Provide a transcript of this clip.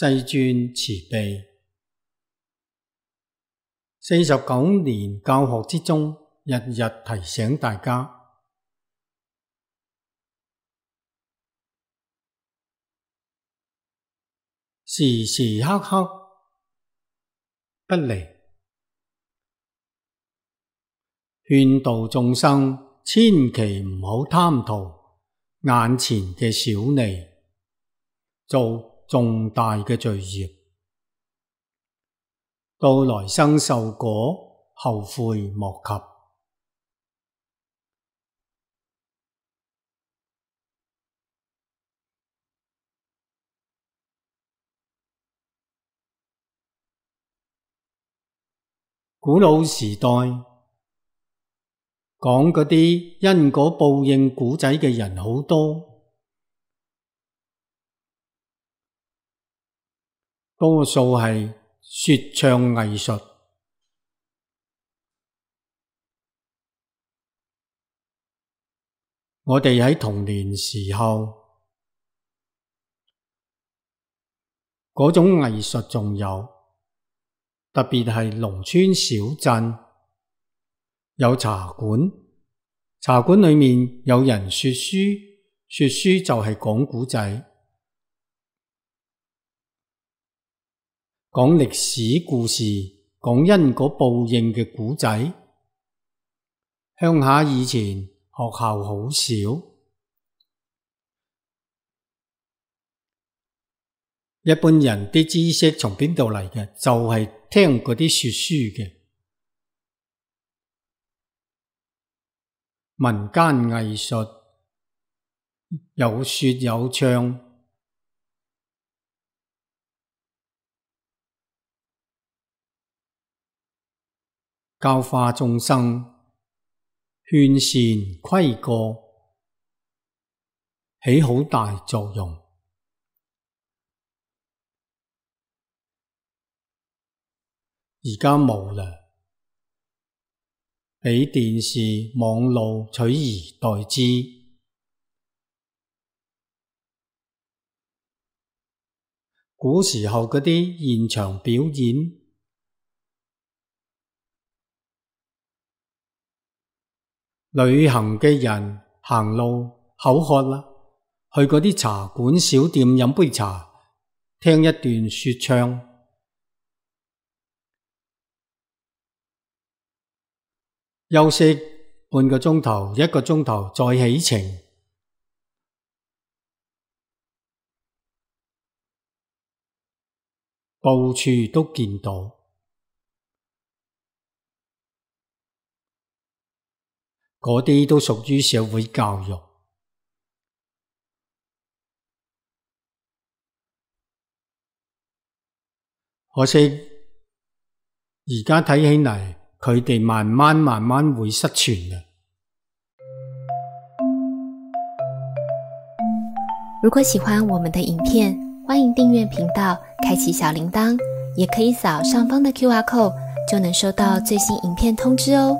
世尊慈悲。49年教學之中，日日提醒大家，時時刻刻不離，勸導眾生千祈唔好貪圖眼前嘅小利，做重大嘅罪業，到來生受果後悔莫及。古老時代講嗰啲因果報應古仔嘅人好多，多數係說唱藝術。我哋喺童年時候，嗰種藝術仲有，特別係農村小鎮有茶館，茶館裏面有人說書，說書就係講古仔，講歷史故事，講因果報應嘅古仔。鄉下以前學校好少，一般人啲知識從邊度嚟嘅？就係聽嗰啲說書嘅民間藝術，有說有唱，教化眾生，勸善規過，起好大作用。而家冇啦，俾電視、網路取而代之。古時候嗰啲現場表演，旅行嘅人行路口渴啦，去嗰啲茶館小店飲杯茶，聽一段說唱。休息半個鐘頭、1個鐘頭再起程，到處都見到。嗰啲都屬於社會教育。可惜而家睇起嚟，佢哋慢慢會失傳嘅。如果喜歡我們的影片，歡迎訂閱頻道，開啟小鈴鐺，也可以掃上方的QR code，就能收到最新影片通知哦。